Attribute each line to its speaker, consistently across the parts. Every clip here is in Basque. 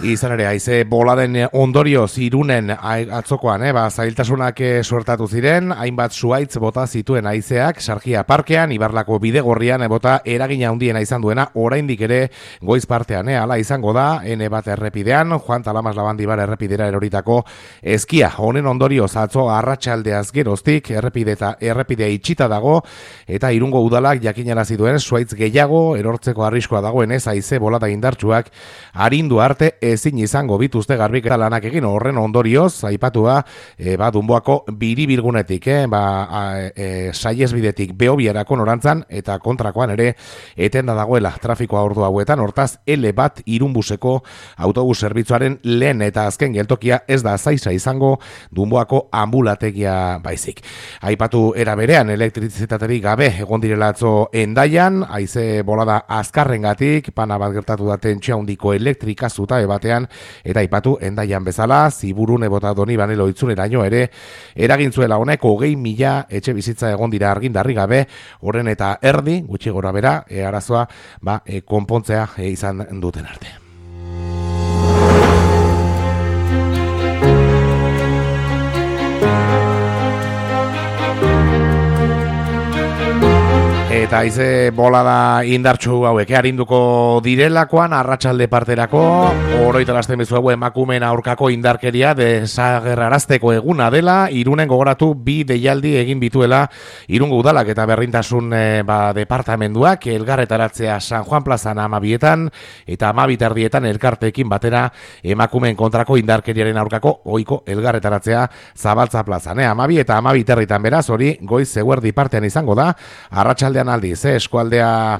Speaker 1: Izan ere, haize boladen ondorioz Irunen atzokoan, zailtasunak suertatu ziren, hainbat zuaitz bota zituen haizeak, Sargia parkean, Ibarlako bidegorrian bota eragina handiena izan duena, oraindik ere goiz partean, hala izango da, N1 errepidean, Juan Talamas Labandibar errepidera eroritako eskia. Honen ondorioz atzo arratsaldeaz geroztik, errepidea itxita dago, eta Irungo udalak jakinarazi duen zuaitz gehiago erortzeko arriskoa dagoenez haize bolada indartsuak arindu arte ezin izango bituzte garbiketa lanak egin. Horren ondorioz aipatua Dunboako biribilgunetik Saihesbidetik Behobiarako norantzan eta kontrakoan ere etenda dagoela trafikoa ordu hauetan. Hortaz L1 Irunbuseko autobus zerbitzuaren lehen eta azken geltokia ez da Zaiza izango, Dunboako ambulategia baizik. Aipatu era berean elektrizitaterik gabe egon direla atzo Hendaian, haize bolada azkarrengatik, pana bat gertatu da tentsio handiko elektrika zutabe batean, eta aipatu Hendaian bezala, Ziburun bota Donibane Loitzuneraino ere eragin zuela honek 20.000 etxe bizitza egon dira argindarri gabe, horren eta erdi, gutxi gora bera, arazoa konpontzea izan duten arte. Eta haize bolada indartsu hauek arinduko direlakoan arratsalde parterako oroitarazten bizuegu emakumeen aurkako indarkeria desagerrarazteko eguna dela. Irunen gogoratu 2 deialdi egin bituela Irungo udalak eta berdintasun departamenduak, elgarretaratzea San Juan plazan 12etan eta 12:30 elkarteekin batera emakumeen kontrako indarkeriaren aurkako ohiko elgarretaratzea Zabaltza plazan. 12 eta 12:30 beraz, hori goiz eguerdi partean izango da. Arratsaldean aldiz, eskualdea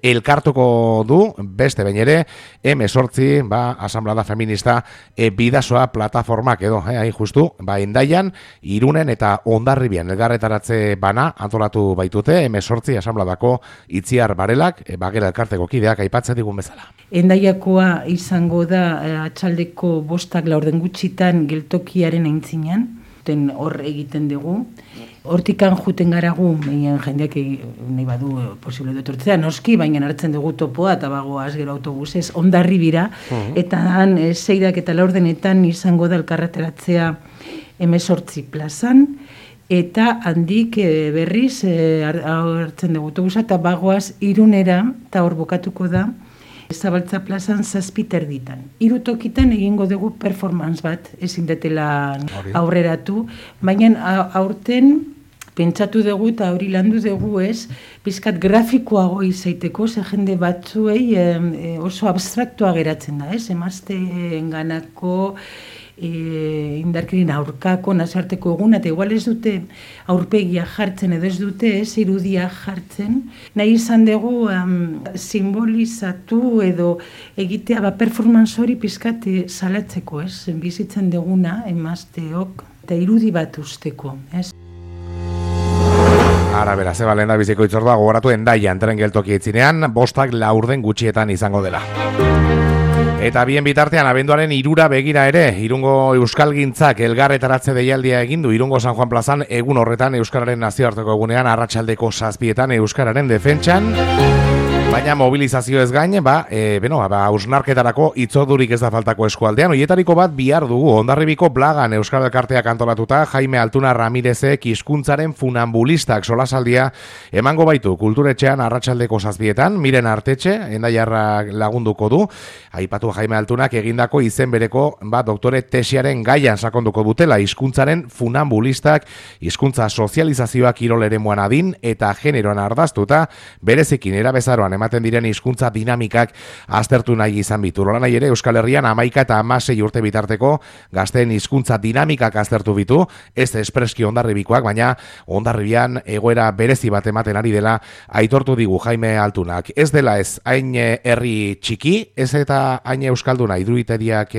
Speaker 1: elkartuko du, beste behin ere, M8, asamblada feminista bidasoa plataformak edo, hain justu, Hendaian, Irunen eta Hondarribian elgarretaratze bana antolatu baitute, M8 asambladako Itziar Barelak, Bagera elkarteko kideak aipatzen digun bezala.
Speaker 2: Hendaiakoa izango da atxaldeko 5:00 gutxitan geltokiaren aintzinean, hor egiten dugu. Hortikan juten garagu, jendeak nahi badu posible dutortzea, noski, baina hartzen dugu topoa eta bagoaz gero autobusez Hondarribira, eta han 6 eta 4 izango da elkarretaratzea M8 plazan, eta handik berriz hartzen dugu autobusa eta bagoaz Irunera, eta hor bukatuko da, Zabaltza plazan 7:30. 3 tokitan egingo dugu performance bat, ezin detela aurreratu, baina aurten pentsatu dugu eta hori landu dugu pizkat grafikoago izaiteko, ze jende batzuei oso abstraktua geratzen da, emazteen ganako indarkerien aurkako nazioarteko eguna, eta igual ez dute aurpegia jartzen edo ez dute irudia jartzen, nahi izan dugu simbolizatu edo egitea performance hori pizkat salatzeko, bizitzen duguna emazteok eta irudi bat usteko,
Speaker 1: Ara bera, zeba lehen da biziko itzordua gogoratu Hendaian tren geltoki itzinean, 5:00 gutxietan izango dela. Eta bien bitartean, abenduaren 3 begira ere, Irungo Euskalgintzak elgarretaratze deialdia egindu Irungo San Juan plazan egun horretan Euskararen nazioarteko egunean arratsaldeko 7:00 Euskararen defentsan. Baina mobilizazio ez gain, hausnarketarako itzordurik ez da faltako eskualdean. Hoietariko bat bihar dugu, Hondarribiko Blagan Euskal Elkarteak antolatuta, Jaime Altuna Ramirezek hizkuntzaren funambulistak solasaldia emango baitu kulturetxean arratsaldeko 7:00, Miren Artetxe, Hendaiarra lagunduko du. Aipatu Jaime Altunak egindako izen bereko doktore tesiaren gaian sakonduko dutela hizkuntzaren funambulistak, hizkuntza sozializazioak kirol eremuan adin eta generoan ardaztuta, berezekin erabezaroan ematen diren hizkuntza dinamikak aztertu nahi izan bitu. Hola nahi ere Euskal Herrian 11 eta 16 urte bitarteko gazteen hizkuntza dinamikak aztertu bitu, ez espreski Hondarribikoak, baina Hondarribian egoera berezi bat ematen ari dela aitortu digu Jaime Altunak. Ez dela ez hain herri txiki, ez eta hain euskalduna iruditeriak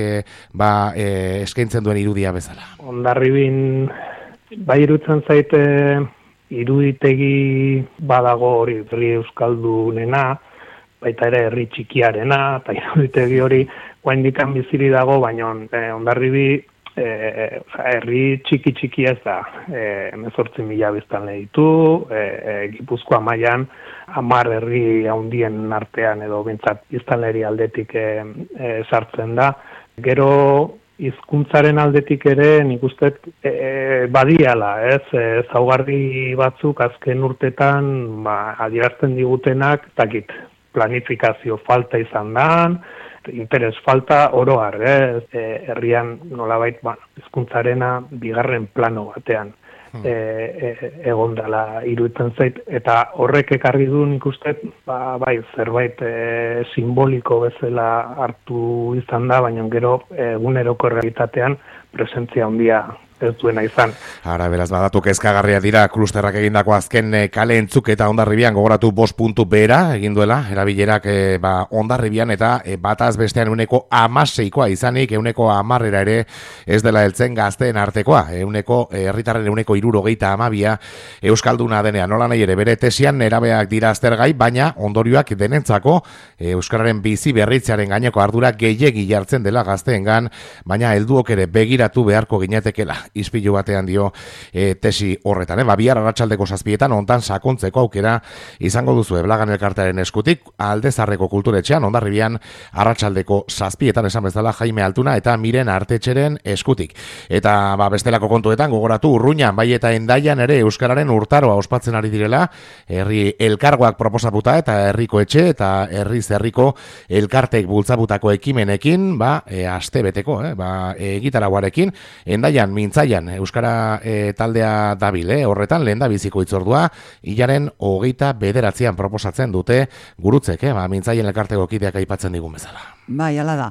Speaker 1: eskaintzen duen irudia bezala.
Speaker 3: Hondarribin bai irutzen zaite iruditegi badago hori herri euskaldunena, baita ere herri txikiarena, eta iruditegi hori oraindik biziri dago, baina Hondarribi herri txiki ez da, 18.000 biztanle ditu, Gipuzkoa mailan 10 herri handien artean edo behintzat biztanleri aldetik sartzen da. Gero hizkuntzaren aldetik ere nik uste badiala, ezaugarri batzuk azken urtetan adierazten digutenak, dakit, planifikazio falta izan da, interes falta oro har, herrian nolabait hizkuntzarena bigarren plano batean egon dela iruditzen zait, eta horrek ekarri du nik uste zerbait simboliko bezala hartu izan da, baina gero eguneroko realitatean presentzia handia ez duena izan.
Speaker 1: Ara, beraz, badatu kezkagarria dira klusterrak egindako azken kale entzuk eta Hondarribian gogoratu 5 puntu behera egin duela, erabilerak Hondarribian eta bataz bestean 16%koa izanik, 10% ere ez dela heltzen gazteen artekoa, herritarren 62% euskalduna denean. Nola nahi ere, bere tesian nerabeak dira aztergai, baina ondorioak denentzako euskararen bizi berritzearen gaineko ardura gehiegi jartzen dela gazteengan, baina helduok ere begiratu beharko ginetekela. Ispilu batean dio tesi horretan. Bihar arratsaldeko 7 hontan sakontzeko aukera izango duzu Blagan elkartearen eskutik, Aldezarreko kulturetxean, Hondarribian arratsaldeko 7 esan bezala Jaime Altuna eta Miren Artetxeren eskutik. Eta bestelako kontuetan gogoratu Urruñan, bai eta Hendaian ere euskararen urtaroa ospatzen ari direla, herri elkargoak proposatuta eta herriko etxe eta herriko elkartek bultzabutako ekimenekin, astebeteko, egitarauarekin, Hendaian mintzaian euskara taldea dabil, horretan lehen da biziko itzordua, hilaren 29an proposatzen dute gurutzek, mintzaien elkarteko kideak aipatzen digun bezala.
Speaker 4: Bai, hala da.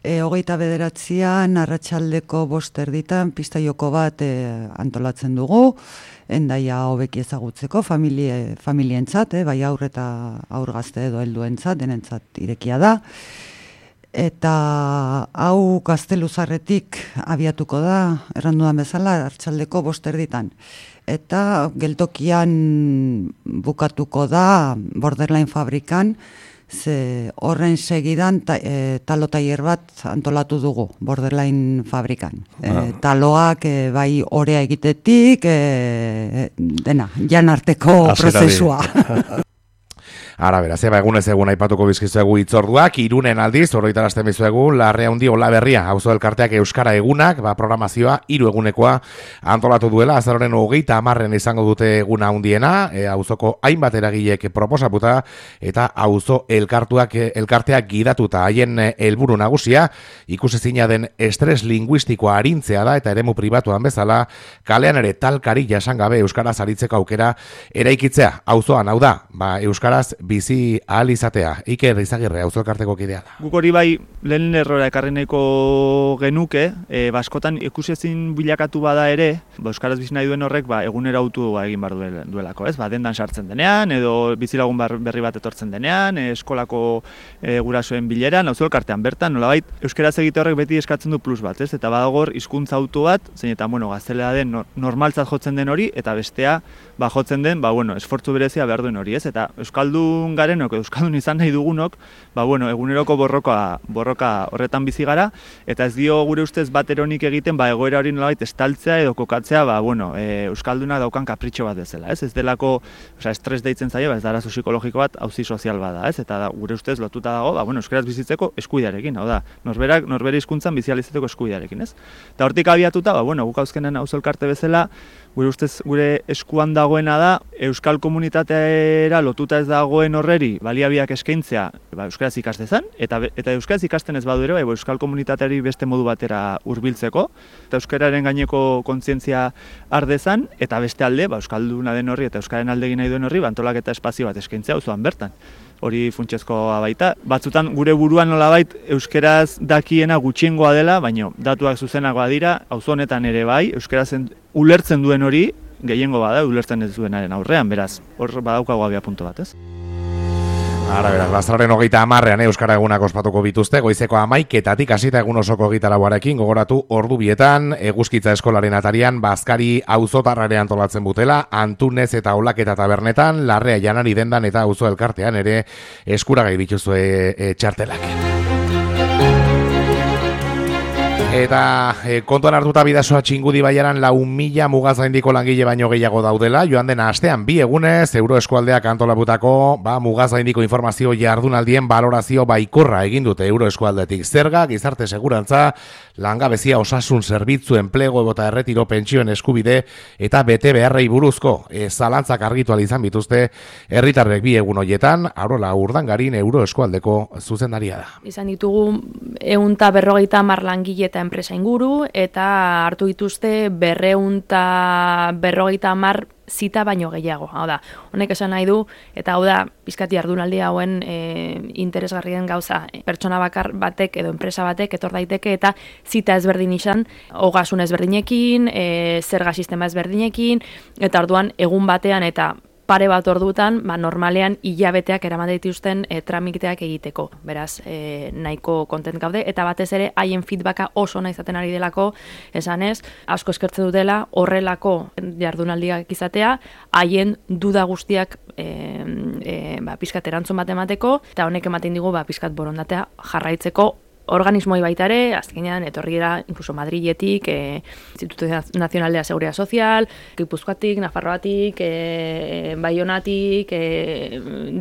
Speaker 4: 29an arratsaldeko 5:00 pista joko bat antolatzen dugu, Hendaia hobeki ezagutzeko familientzat, bai haur eta haur gazte edo helduentzat, denentzat irekia da. Eta hau Gazteluzarretik abiatuko da, erranduan bezala, arratsaldeko 5:00. Eta geltokian bukatuko da Borderline fabrikan, ze horren segidan talo-tailer bat antolatu dugu Borderline fabrikan. Taloak bai orea egitetik, dena, jan arteko prozesua.
Speaker 1: Ara, beraz, egunez egun aipatuko bizkizuegu itzorduak, Irunen aldiz, horretarazten bizuegu, Larrea Handi Olaberria, auzo elkarteak euskara egunak, programazioa 3 egunekoa antolatu duela, azaroren 30 izango dute eguna handiena, auzoko hainbat eragilek proposaputa, eta auzo elkarteak gidatuta, haien helburu nagusia, ikusezina den estres linguistikoa arintzea da, eta eremu pribatuan bezala, kalean ere talkari jasangabe euskaraz aritzeko aukera eraikitzea, auzoan, hau da, euskaraz bizi ahal izatea. Iker Izagirre, auzo elkarteko kidea da.
Speaker 5: Guk hori bai lehen errora ekarri nahiko genuke, askotan ikusezin bilakatu bada ere, euskaraz bizi nahi duen horrek egunera autu egin bar duelako, ez? Dendan sartzen denean, edo bizilagun berri bat etortzen denean, eskolako gurasoen bileran, auzo elkartean bertan, nolabait euskaraz egite horrek beti eskatzen du plus bat, ez? Eta badagor hizkuntza auto bat, zein eta gaztelera den normaltzat jotzen den hori, eta bestea jotzen den, esfortzu berezia behar duen hori, ez? Eta euskaldun garenok, euskaldun izan nahi dugunok, eguneroko borroka horretan bizi gara, eta ez dio gure ustez bat eronik egiten, egoera hori nolabait estaltzea edo kokatzea, euskalduna daukan kapritxo bat dezela, ez? Ez delako, estres deitzen zaio, ez da arazo psikologiko bat, auzi sozial bada, ez? Eta gure ustez lotuta dago, euskaraz bizitzeko eskubidearekin, hau da, norbere hizkuntzan bizializatzeko eskubidearekin, ez? Eta hortik abiatuta, guk auzkenen auzo elkarte bezala, gure ustez gure eskuan dagoena da, euskal komunitateera lotuta ez dagoen horreri baliabideak eskaintzea euskaraz ikas dezan, eta euskaraz ikasten ez badu ere, euskal komunitateari beste modu batera hurbiltzeko, eta euskararen gaineko kontzientzia har dezan, eta beste alde, euskalduna den horri eta euskaren alde egin nahi duen horri, antolaketa espazio bat eskaintzea auzoan bertan. Hori funtsezkoa baita. Batzutan gure buruan nolabait euskeraz dakiena gutxiengoa dela, baina datuak zuzenagoa dira, auzo honetan ere bai, euskaraz ulertzen duen hori gehiengo bada, ulertzen ez duenaren aurrean, beraz, hor badaukago abia punto bat, ez?
Speaker 1: Ara, beraz, Azaroren 30 euskara egunak ospatuko bituzte, goizeko 11:00 hasita egun osoko 24arekin, gogoratu ordu bietan, Eguzkitza eskolaren atarian, Bazkari auzotarrare antolatzen butela, Antunez eta Olaketa tabernetan, Larrea Janari dendan eta auzo elkartean ere eskuragai bituzue txartelak. Eta kontuan hartuta Bidasoa Txingudi Baiaran 4.000 mugazgaindiko langile baino gehiago daudela, joan den astean 2 egunez Euroeskualdeak antolabutako mugazgaindiko informazio jardunaldien balorazio baikorra egin dute Euroeskualdetik. Zerga, gizarte segurantza, langabezia, osasun zerbitzu, enplego eta erretiro pentsioen eskubide eta bete beharrei buruzko zalantzak argitu ahal izan bituzte herritarrek 2 egun hoietan. Arola Urdangarin Euroeskualdeko zuzendaria da.
Speaker 6: Izan ditugu 150 langile eta enpresa inguru, eta hartu dituzte 250 zita baino gehiago. Hau da, honek esan nahi du, eta hau da, pizkati jardunaldi hauen interesgarrien gauza. Pertsona bakar batek edo enpresa batek etor daiteke eta zita ezberdin izan, ogasun ezberdinekin, zerga sistema ezberdinekin, eta orduan egun batean eta pare bat ordutan, normalean hilabeteak eraman dituzten tramiteak egiteko. Beraz, nahiko kontent gaude, eta batez ere haien feedbacka oso ona izaten ari delako, esanez, asko eskertzen dutela horrelako jardunaldiak izatea, haien duda guztiak pizkat erantzun bat emateko, eta honek ematen digu pizkat borondatea jarraitzeko organismoi baitare, azkenean etorriera incluso Madriletik, Instituto Nacional de la Seguridad Social, Gipuzkoatik, Nafarroatik, Baionatik,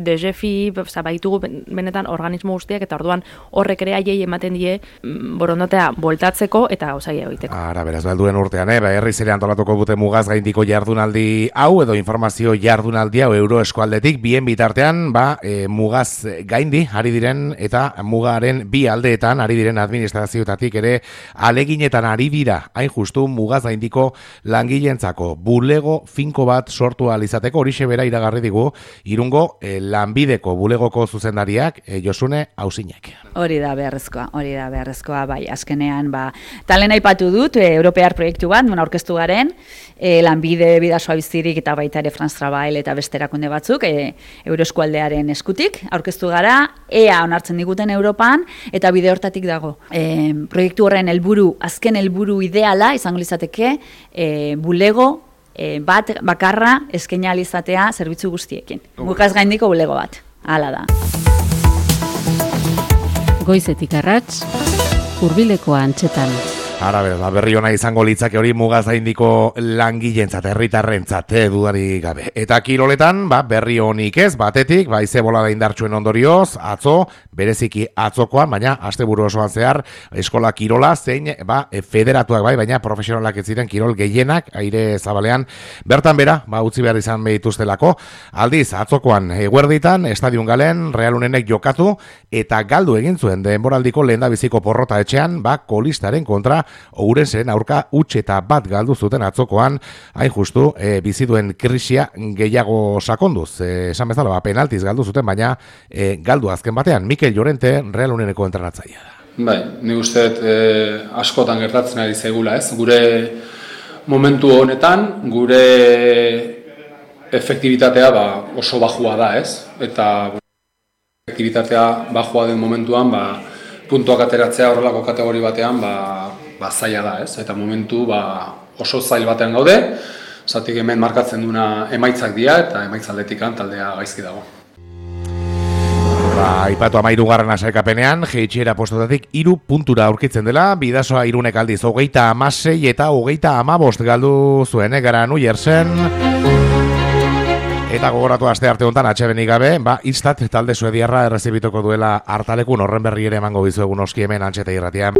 Speaker 6: DGFI, baitugu benetan organismo guztiak, eta orduan horrek ere haiei ematen die borondatea boltatzeko eta gauzaia egiteko.
Speaker 1: Ara, beraz, belduen urtean, herriz ere antolatuko dute mugazgaindiko jardunaldi hau edo informazio jardunaldi hau Euroeskualdetik, bien bitartean, mugaz gaindi ari diren eta mugaren bi aldeetan ari diren administrazioetatik ere aleginetan ari dira, hain justu mugazgaindiko langileentzako bulego finko bat sortu ahal izateko. Horixe bera iragarri digu Irungo lanbideko bulegoko zuzendariak Josune Auzinek.
Speaker 7: Hori da beharrezkoa, bai, azkenean, talen aipatu dut, Europear proiektu bat, aurkeztu garen, lanbide Bidasoa bizirik eta baita ere France Travail eta beste erakunde batzuk, Euroeskualdearen eskutik, aurkeztu gara, ea onartzen diguten Europan, eta bide hortatik dago. Proiektu horren azken helburu ideala, izango lizateke, bulego bat bakarra eskaini ahal izatea zerbitzu guztiekin. Mugazgaindiko bulego bat, hala da.
Speaker 8: Goizetik arrats, hurbilekoa antxetan.
Speaker 1: Ara, berri ona izango litzake hori mugazgaindiko langileentzat, herritarrentzat, dudari gabe. Eta kiroletan, berri honik ez, batetik, ize bolada indartsuen ondorioz, atzo, bereziki atzokoan, baina asteburu osoan zehar, eskola kirola, zein, federatuak baina profesionalak ez ziren kirol gehienak, aire zabalean, bertan bera, utzi behar izan behituztelako, aldiz, atzokoan, eguerditan, estadion galen, Real Unenek jokatu, eta galdu egin zuen denboraldiko lehendabiziko porrota etxean, kolistaren kontra, Ourensen aurka huts eta bat galdu zuten atzokoan, hain justu biziduen krisia gehiago sakonduz. Esan bezala, penaltiz galdu zuten, baina galdu azken batean. Mikel Llorente, Real Uneneko entrenatzailea da.
Speaker 9: Bai, ni usteet askotan gertatzen ari zaigula, ez? Gure momentu honetan, gure efektibitatea oso bajua da, ez? Eta efektibitatea bajua den momentuan, puntuak ateratzea horrelako kategori batean, zaila da, ez? Eta momentu oso zail batean gaude, zatik hemen markatzen duna emaitzak dira, eta emaitzaldetikan taldea gaizki dago.
Speaker 1: Aipatu 13. sailkapenean, jeitsiera postotatik 3 puntura aurkitzen dela, Bidasoa Irunek aldiz 36 eta 35 galdu zuen, Granollers-en. Eta gogoratu aste arte hontan atsebenik gabe, Istat talde suediarra errezibituko duela hartalekun, horren berri ere emango bizuegun oski hemen Antxeta Irratian.